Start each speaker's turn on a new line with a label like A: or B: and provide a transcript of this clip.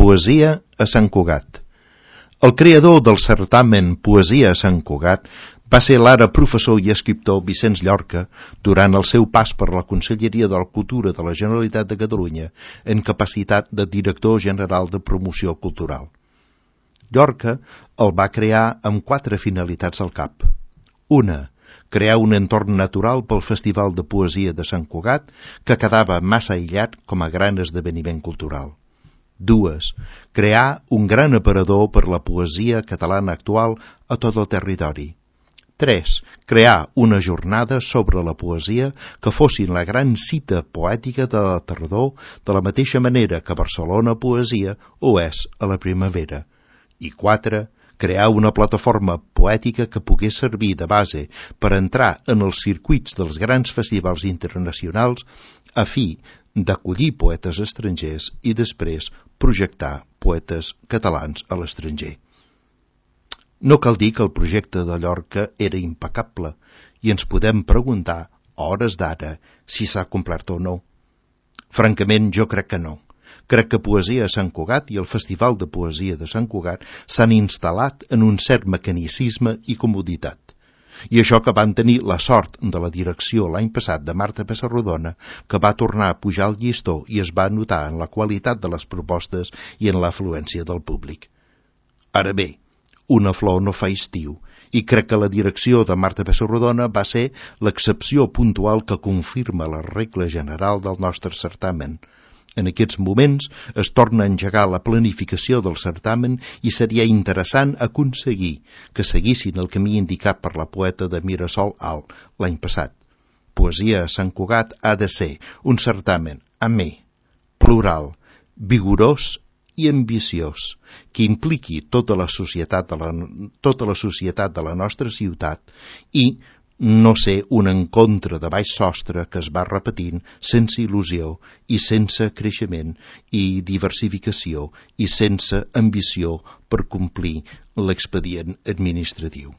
A: Poesia a Sant Cugat. El creador del certamen Poesia a Sant Cugat va ser l'ara professor i escriptor Vicenç Llorca durant el seu pas per la Conselleria de la Cultura de la Generalitat de Catalunya en capacitat de director general de promoció cultural. Llorca el va crear amb 4 finalitats al cap. Una, crear un entorn natural pel Festival de Poesia de Sant Cugat, que quedava massa aïllat com a gran esdeveniment cultural. 2. Crear un gran aparador per la poesia catalana actual a tot el territori. 3. Crear una jornada sobre la poesia que fossin la gran cita poètica de la tardor, de la mateixa manera que Barcelona Poesia ho és a la primavera. I 4. Crear una plataforma poètica que pogués servir de base per entrar en els circuits dels grans festivals internacionals a fi d'acollir poetes estrangers i després projectar poetes catalans a l'estranger. No cal dir que el projecte de Llorca era impecable i ens podem preguntar, a hores d'ara, si s'ha complert o no. Francament, jo crec que no. Crec que Poesia a Sant Cugat i el Festival de Poesia de Sant Cugat s'han instal·lat en un cert mecanicisme i comoditat. I això que van tenir la sort de la direcció l'any passat de Marta Pessarrodona, que va tornar a pujar el llistó i es va notar en la qualitat de les propostes i en l'afluència del públic. Ara bé, una flor no fa estiu, i crec que la direcció de Marta Pessarrodona va ser l'excepció puntual que confirma la regla general del nostre certamen. En aquests moments es torna a engegar la planificació del certamen i seria interessant aconseguir que seguissin el camí indicat per la poeta de Mirasol Alt l'any passat. Poesia a Sant Cugat ha de ser un certamen amè, plural, vigorós i ambiciós, que impliqui tota la societat de la nostra ciutat i no ser un encontre de baix sostre que es va repetint sense il·lusió i sense creixement i diversificació i sense ambició per complir l'expedient administratiu.